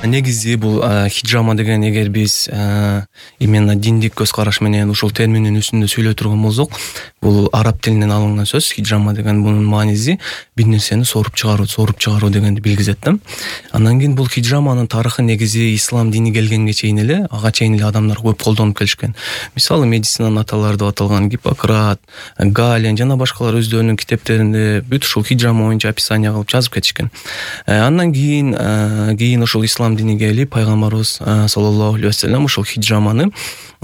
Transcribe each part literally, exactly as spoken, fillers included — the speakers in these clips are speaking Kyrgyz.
негизи бул хиджама деген, эгер биз именно диндик көз караш менен ушул терминдин үстүндө сүйлөй турган болсок, бул араб тилинен алынган сөз. Хиджама деген бунун мааниси бир нерсени соруп чыгаруу, соруп чыгаруу дегенди билгизет да. Андан кийин бул хиджаманын тарыхы негизи ислам дини келгенге чейин эле, ага чейин эле адамдар көп колдонуп келишкен. Мисалы, медицинанын аталары деп аталган Гиппократ, Гален жана башкалар өздөрүнүн китептеринде бүт ушул хиджама боюнча описание кылып жазып кетишкен. Андан кийин кийин ушул ислам динине келип, пайгамбарыбыз саллаллаху алейхи вассалам ушул хиджаманы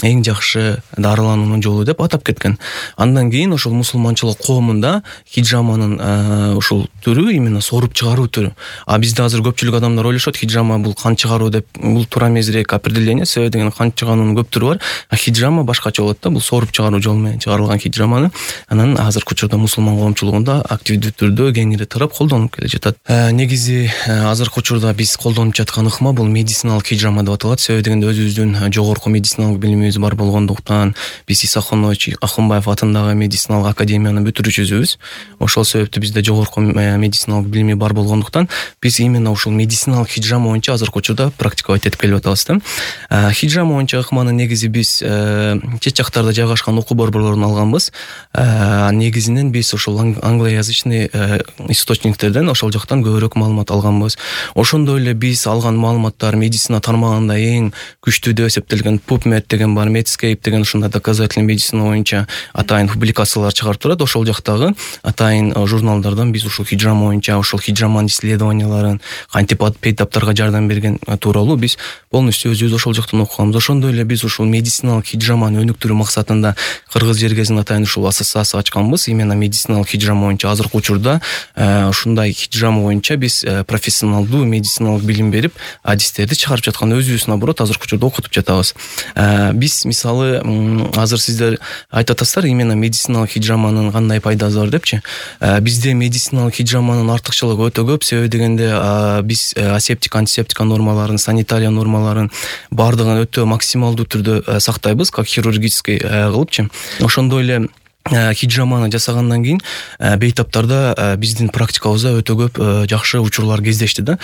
эң жакшы дарылануунун жолу деп атап кеткен. Андан кийин ошол мусулманчылык коомунда хиджаманын ушул түрү именно соруп чыгаруу түрү. А бизде азыр көпчүлүк адамдар ойлошот, хиджама бул кан чыгаруу деп. Бул туура эмесирээк определение. Себеби деген кан чыгаруунун көп түрү бар. А хиджама башкача болот да. Бул соруп чыгаруу жолу менен чыгарылган хиджаманы анан азыркы учурда мусулман коомчулугунда активдүү түрдө кеңири тарап колдонуп келе жатат. Негизи азыркы учурда биз колдонуп жаткан ыкма бул медициналык хиджама деп аталат. Себеби дегенде өзүбүздүн жогорку медициналык билимибиз бар болгондуктан биз Исахунович Акунбаев атындагы медициналык академияны бүтүрүүчүсүбүз. Ошол себептен бизде жогорку медициналык билими бар болгондуктан биз именно ушул медициналык хиджама боюнча азыркы учурда практикалап этип келип атабыз да. Хиджама боюнча ыкманы негизи биз чет жактарда жайгашкан окуу борборлорунан алганбыз. Негизинен биз ушул англоязычный источниктерден, ошол жактан көбүрөөк маалымат алганбыз. Ошондой эле биз алган маалыматтар медицина тармагында эң күчтүү деп эсептелген PubMed деген бар, Medscape деген ушундай доказательный медицина боюнча атайын публикациялар чыгарып турат. Ошол жактагы атайын журналдардан биз ушул хиджама боюнча, ушул хиджаманын исследованияларын, кантип бейтаптарга жардам берген тууралуу биз полностью өзүбүз ошол жактан окуганбыз. Ошондой эле биз ушул медициналык хиджаманы өнүктүрүү максатында Кыргыз жергесинде атайын ушул ассоциация ачканбыз. Именно медициналык хиджама боюнча азыркы учурда ушундай хиджама боюнча биз профессионалдуу медициналык билим берип, адистерди чыгарып жаткан, өзүбүз наоборот азыркы учурда окутуп жатабыз. Биз мисалы азыр сиздер айтып атасыздар, именно медициналык хиджаманын кандай пайдасы бар депчи. Бизде медициналык хиджаманын артыкчылыгы өтө көп. Себеби дегенде биз асептик, антисептика нормаларын, санитария нормаларын бардыгын өтө максималдуу түрдө сактайбыз, как хирургический кылыпчы. Ошондой эле хиджаманы жасагандан кийин бейтаптарда биздин практикабызда өтө көп жакшы учурлар кездешти да.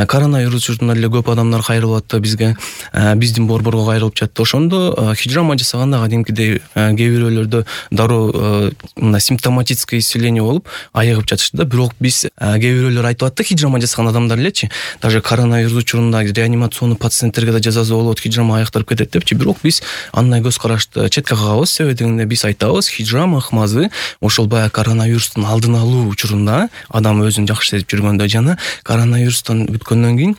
Коронавирус учурунда эле көп адамдар кайрылып атты бизге, биздин борборго кайрылып жатты. Ошондо хиджама жасаганда кадимкидей кээ бирөөлөрдө дароо мына симптоматическое исцеление болуп айыгып жатышты да. Бирок биз кээ бирөөлөр айтып атты, хиджама жасаган адамдар элечи, даже коронавирус учурунда реанимационный пациенттерге да жазасы болот, хиджама айыктырып кетет депчи. Бирок биз андай көз карашты четке кагабыз. Себеби дегенде биз айтабыз, хиджама ыкмасы ошол баягы коронавирустун алдын алуу учурунда адам өзүн жакшы сезип жүргөндө жана коронавирустан бүткөндөн кийин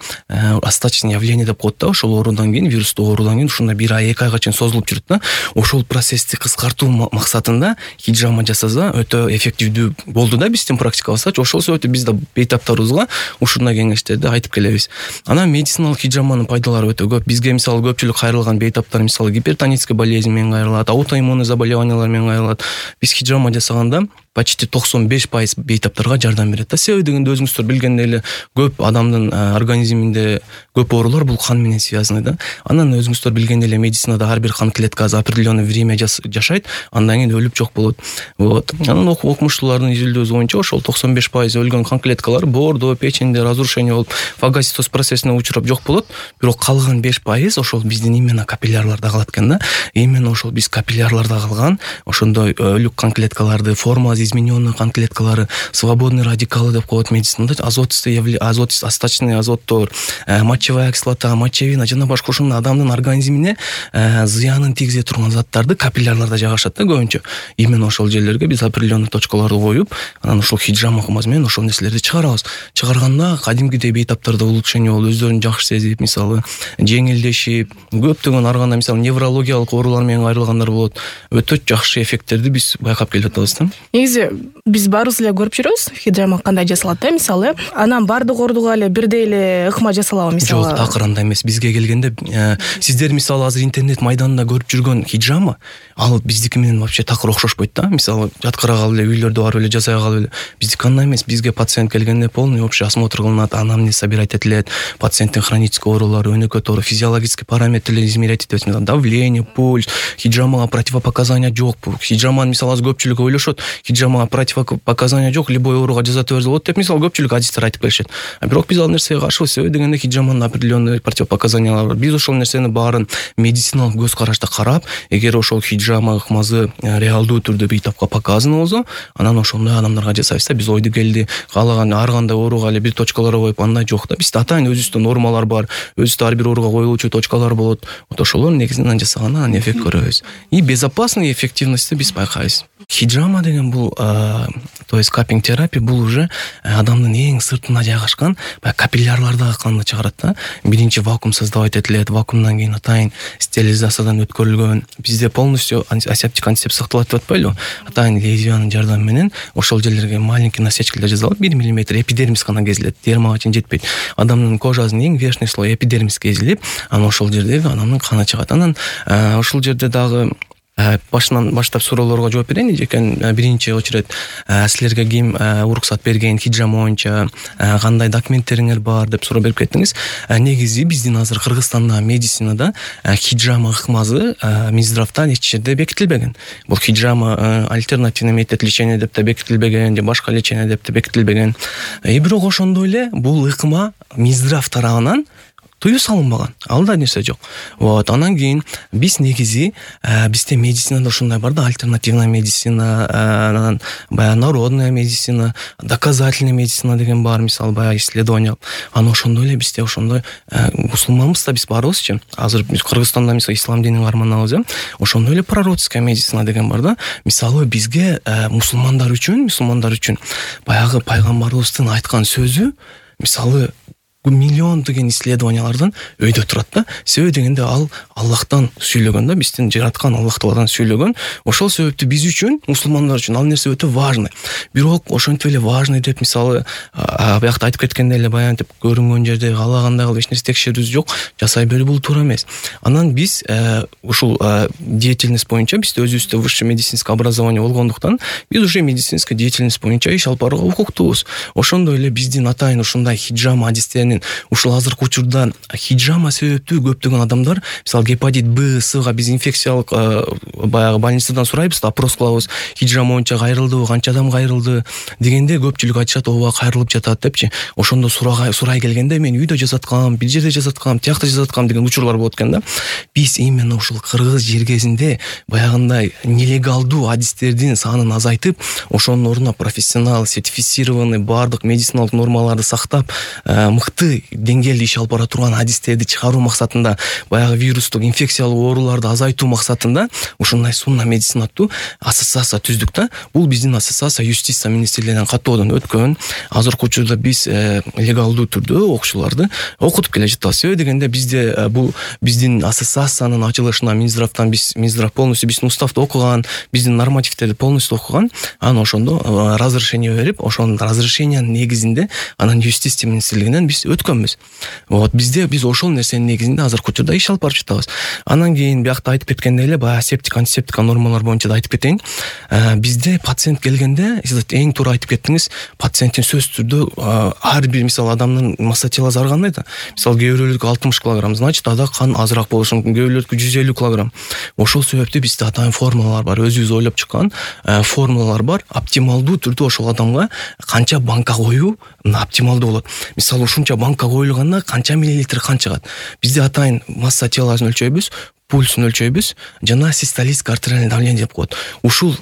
остаточный явление деп коет да, ошол оорудан кийин, вирустук оорудан кийин ушундай бир ай, эки айга чейин созулуп жүрөт да. Ошол процессти кыскартуу максатында хиджама жасаса өтө эффективдүү болду да биздин практикабызда. Ошол себептен биз да бейтаптарыбызга ушундай кеңештерди айтып келебиз. Анан медициналык хиджаманын пайдалары өтө көп. Бизге мисалы көпчүлүк кайрылган бейтаптар мисалы гипертонический болезнь менен кайрылат, аутоиммунный заболеваниялар менен кайрылат. Биз хиджама жасаганда почти токсон беш пайыз бейтаптарга жардам берет да. Себеби дегенде өзүңүздөр билгендей эле көп адамдын организминде көп оорулар бул кан менен связаны да. Анан өзүңүздөр билгендей эле медицинада ар бир кан клеткасы определенный время жашайт, андан кийин өлүп жок болот. Вот. Анан окумуштуулардын изилдөөсү боюнча ошол токсон беш пайыз өлгөн кан клеткалар боордо, печенде разрушение болуп, фагоцитоз процессине учурап жок болот. Бирок калган беш пайыз ошол биздин именно капиллярларда калат экен да. Именно ошол биз капилляларда калган ошондой өлүк кан клеткаларды, форма измененные кан клеткалары, свободный радикалы деп коет медицинада, азотистый азот, остаточный азоттор, мочевая кислота, мочевина жана башка ушундай адамдын организмине зыянын тийгизе турган заттарды капилляларда жайгашат да көбүнчө. Именно ошол жерлерге биз определенный точкаларды коюп, анан ошол хиджама ыкмасы менен ошол нерселерди чыгарабыз. Чыгарганда кадимкидей бейтаптарда улучшение болуп, өздөрүн жакшы сезип, мисалы жеңилдешип, көптөгөн ар кандай мисалы неврологиялык оорулар менен кайрылгандар болот. Өтө жакшы эффекттерди биз байкап келип атабыз да. Негизи биз баарыбыз эле көрүп жүрөбүз хиджама кандай жасалат да, мисалы. Анан баардык ооруга эле бирдей эле ыкма жасалабы мисалы? Жок, такыр андай эмес. Бизге келгенде сиздер мисалы азыр интернет майданында көрүп жүргөн хиджама ал биздики менен вообще такыр окшошпойт да. Мисалы жаткыра калып эле үйлөрдө барып эле жасай калып эле. Биздики андай эмес. Бизге пациент келгенде полный общий осмотр кылынат, анамнез собирать этилет, пациенттин хронический оорулары, өнөкөт оору, физиологический параметрлер измерять этилет, давление, пульс. Хиджамага противопоказания жок. Хиджаманы мисалы аз көпчүлүк ойлошот. Хиджама хиджамага противопоказания жок, любой ооруга жасата берсе болот деп мисалы көпчүлүк адистер айтып келишет. А бирок биз ал нерсеге каршыбыз. Себеби дегенде хиджаманын определенный противопоказаниялары бар. Биз ошол нерсени баарын медициналык көз карашта карап, эгер ошол хиджама ыкмасы реалдуу түрдө бейтапка показано болсо, анан ошондой адамдарга жасайбыз да. Биз ойду келди, каалаган ар кандай ооруга эле бир точкалар коюп андай жок да. Бизде атайын өзүбүздө нормалар бар. Өзүбүздө ар бир ооруга коюлуучу точкалар болот. Вот ошолор негизинен жасагандан анан эффект көрөбүз. И безопасный эффективности биз байкайбыз. Хиджама деген бул, то есть капинг терапия, бул уже адамдын эң сыртына жайгашкан баягы капиллярлардагы канды чыгарат да. Биринчи вакуум создавать этилет, вакуумдан кийин атайын стерилизациядан өткөрүлгөн. Бизде полностью асептик антисептик сакталат деп атпайлы. Атайын лезвиянын жардамы менен ошол жерлерге маленький насечкалар жасалып, бир миллиметр эпидермис гана кезилет. Дермага чейин жетпейт. Адамдын кожасынын эң верхний слой эпидермис кезилип, анан ошол жерде адамдын каны чыгат. Анан ошол жерде дагы башынан баштап суроолорго жооп берейин экен. Биринчи очередь силерге ким уруксат берген хиджама боюнча, кандай документтериңер бар деп суроо берип кеттиңиз. Негизи биздин азыр Кыргызстанда медицинада хиджама ыкмасы Минздравдан эч жерде бекитилбеген. Бул хиджама альтернативный метод лечения деп да бекитилбеген, же башка лечение деп да бекитилбеген. И бирок ошондой эле бул ыкма Минздрав тарабынан тыюу салынбаган. Алда нерсе жок. Вот, анан кийин биз негизи бизде медицинада ушундай бар да, альтернативная медицина, анан баягы народная медицина, доказательный медицина деген бар, мисалы баягы исследование. Анан ошондой эле бизде ошондой мусулманбыз да биз барбызчы. Азыр биз Кыргызстанда мисалы ислам динин карманабыз, э. Ошондой эле пророческая медицина деген бар да. Мисалы бизге мусулмандар үчүн, мусулмандар үчүн баягы пайгамбарыбыздын айткан сөзү мисалы миллион деген исследованиялардан өйдө турат да. Себеби дегенде ал Аллахтан сүйлөгөн да, биздин жараткан Аллах Тааладан сүйлөгөн. Ошол себептүү биз үчүн, мусулмандар үчүн ал нерсе өтө важный. Бирок ошентип эле важный деп мисалы биякта айтып кеткендей эле баянтип көрүнгөн жерде каалагандай кылып эч нерсе текшерүүбүз жок, жасай берүү бул туура эмес. Анан биз ушул деятельность боюнча бизде өзүбүздө высшее медицинское образование болгондуктан биз уже медицинская деятельность боюнча иш алып барууга укуктуубуз. Ошондой эле биздин атайын ушундай хиджама адистеринин ушул азыркы учурда хиджама себептүү көптөгөн адамдар мисалы гепатит Б, Сга биз инфекциялык баягы больницадан сурайбыз, опрос кылабыз, хиджама боюнча кайрылдыбы, канча адам кайрылды дегенде көпчүлүк айтышат, ооба кайрылып жатат депчи. Ошондо сурай сурай келгенде мен үйдө жасаткам, бир жерде жасаткам, тиякта жасаткам деген учурлар болот экен да. Биз именно ушул кыргыз жергесинде баягындай нелегалдуу адистердин санын азайтып, ошонун ордуна профессионал, сертифицированный бардык медициналык нормаларды сактап, мыкты деңгээлде иш алып бара турган адистерди чыгаруу максатында, баягы вирустук инфекциялык ооруларды азайтуу максатында ушундай сунна медицина аттуу ассоциация түздүк да. Бул биздин ассоциация юстиция министрлигинен каттоодон өткөн. Азыркы учурда биз легалдуу түрдө окуучуларды окутуп келе жатабыз. Себеби дегенде бизде бул биздин ассоциациянын ачылышына Минздравдан биз Минздрав полностью биздин уставды окуган, биздин нормативтерди полностью окуган. Анан ошондо разрешение берип, ошонун разрешениянын негизинде анан юстиция министрлигинен биз өткөнбүз. Вот бизде биз ошол нерсенин негизинде азыркы учурда иш алып барып жатабыз. Анан кийин биякта айтып кеткендей эле баягы асептик антисептик нормалар боюнча да айтып кетейин. Бизде пациент келгенде, сиз эң туура айтып кеттиңиз, пациенттин сөзсүз түрдө ар бир мисалы адамдын масса телосу ар кандай да. Мисалы кээ бирөөлөрдүкү алтымыш килограмм, значит ада кан азыраак болушу мүмкүн, кээ бирөөлөрдүкү жүз элүү килограмм. Ошол себептүү бизде атайын формулалар бар, өзүбүз ойлоп чыккан формулалар бар. Оптималдуу түрдө ошол адамга канча банка коюу оптималдуу болот. Мисалы ушунча банка коюлганда канча миллилитр кан чыгат. Бизде атайын масса телосын өлчөйбүз, пульсун өлчөйбүз, жана систолическое артериальное давление деп коет. Ушул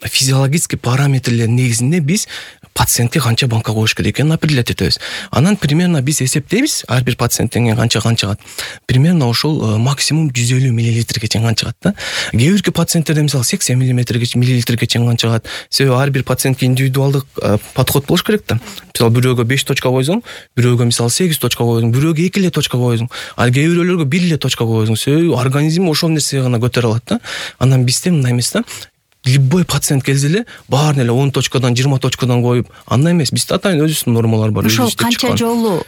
физиологический параметрлер негизинде биз пациентке канча банка коюш керек экенин определять этебиз. Анан примерно биз эсептейбиз, ар бир пациенттен канча кан чыгат. Примерно ошол максимум жүз элүү миллилитрге чейин кан чыгат да. Кээ бирки пациенттерде мисалы сексен миллилитрге чейин кан чыгат. Себеби ар бир пациентке индивидуалдык подход болуш керек да. Мисалы бирөөгө беш точка койсоң, бирөөгө мисалы сегиз точка койсоң, бирөөгө эки эле точка койсоң, ал кээ бирөөлөргө бир эле точка койсоң, себеби организм ошол нерсеге гана көтөрө алат да. Анан бизде мындай эмес да. Любой пациент келсе эле баарын эле он точкадан жыйырма точкадан коюп, андай эмес. Бизде атайын өзүбүздүн нормалар бар. Ошол канча жолу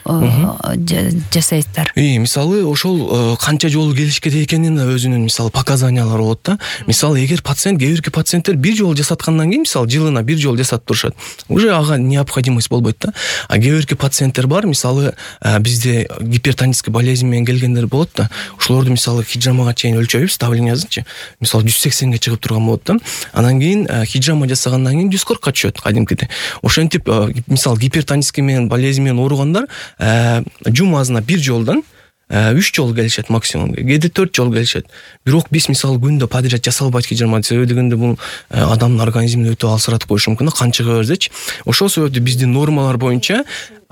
жасайсыздар? И мисалы ошол канча жолу келиш керек экенин өзүнүн мисалы показаниялары болот да. Мисалы эгер пациент, кээ бирки пациенттер бир жолу жасаткандан кийин, мисалы жылына бир жолу жасатып турушат, уже ага необходимость болбойт да. А кээ бирки пациенттер бар, мисалы бизде гипертонический болезнь менен келгендер болот да. Ошолорду мисалы хиджамага чейин өлчөйбүз, давлениясынчы. Мисалы жүз сексенге чыгып турган болот да. Анан кийин хиджама жасагандан кийин жүз кыркка түшөт кадимкидей. Ошентип мисалы гипертонический менен болезнь менен ооругандар жумасына бир жолдон үч жолу келишет максимум, кээде төрт жолу келишет. Бирок биз мисалы күндө подряд жасалбайт хиджама, себеби дегенде бул адамдын организмин өтө алсыратып коюшу мүмкүн да, кан чыга берсечи. Ошол себептен биздин нормалар боюнча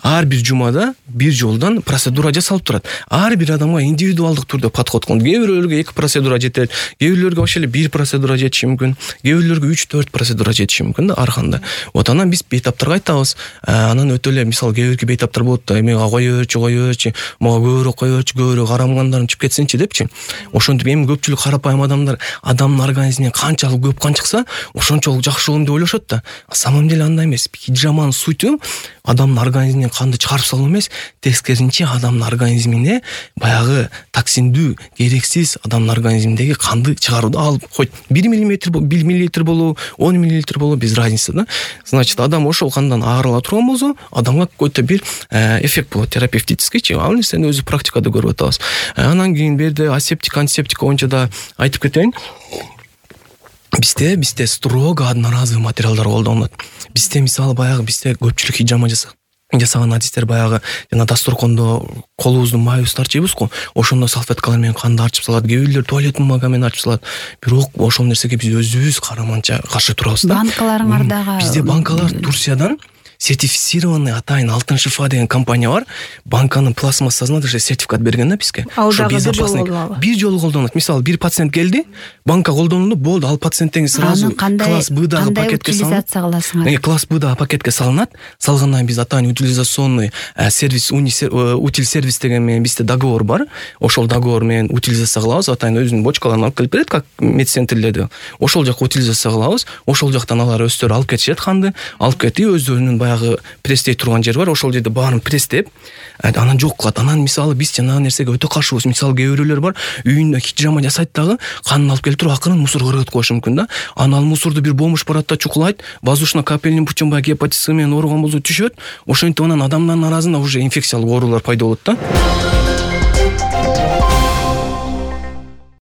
ар бир жумада бир жолдон процедура жасалып турат. Ар бир адамга индивидуалдык түрдө подход кылынат. Кээ бирөөлөргө эки процедура жетет, кээ бирөөлөргө вообще эле бир процедура жетиши мүмкүн, кээ бирөөлөргө үч төрт процедура жетиши мүмкүн да ар кандай. Вот анан биз бейтаптарга айтабыз. Анан өтө эле мисалы кээ бирки бейтаптар болот да, эми кое берчи, кое берчи, мага көбүрөөк кое берчи, көбүрөөк карамгандарым чыгып кетсинчи депчи. Ошентип эми көпчүлүк карапайым адамдар адамдын организминен канчалык көп кан чыкса, ошончолук жакшы болом деп ойлошот да. На самом деле андай эмес. Хиджаманын суту адамдын организминен канды чыгарып салуу эмес, тескерисинче адамдын организмине баягы токсиндүү, керексиз адамдын организминдеги канды чыгарууду алып койт. бир миллиметр, бир миллилитр болобу, он миллилитр болобу без разницы да. Значит, адам ошол кандан аарыла турган болсо, адамга какой-то бир эффект болот, терапевтическийчи. Ал нерсени өзү практикада көрүп атабыз. Анан кийин берде асептик, антисептик боюнча да айтып кетейин. Бизде бизде строго одноразовый материалдар колдонулат. Бизде мисалы баягы бизде көпчүлүк хиджама жасаган адистер баягы жана дасторкондо колубузду майыбызды тарчыйбыз го, ошондо салфеткалар менен канды арчып салат, кээ бирлер туалет бумага менен арчып салат. Бирок ошол нерсеге биз өзүбүз караманча каршы турабыз да. Банкаларыңар дагы бизде банкалар Турциядан сертифицированный атайын Алтын шифа деген компания бар. Банканын пластмассасына даже сертификат берген да бизге. Ошо безопасный. Бир жолу колдонот. Мисалы бир пациент келди, банка колдонулду, болду, ал пациенттен сразу класс Б-дагы пакетке салынат. Класс Б-дагы пакетке салынат. Салгандан биз атайын утилизационный сервис, утил сервис деген менен бизде договор бар. Ошол договор менен утилизация кылабыз. Атайын өзүнүн бочкаларын алып келип берет, как медцентрлерде. Ошол жакка утилизация кылабыз. Ошол жактан алар өздөрү алып кетишет канды, алып кетип өздөрүнүн баягы пресстей турган жер бар, ошол жерде баарын пресстеп, анан жок кылат. Анан мисалы биз жанагы нерсеге өтө каршыбыз. Мисалы кээ бирөөлөр бар, үйүндө хиджама жасайт дагы, канын алып келип туруп акырын мусорго кыргызып коюшу мүмкүн да. Анан ал мусорду бир бомж барат да чукулайт, воздушно-капельный путем баягы гепатит С менен ооруган болсо түшөт. Ошентип анан адамдардын арасында уже инфекциялык оорулар пайда болот да.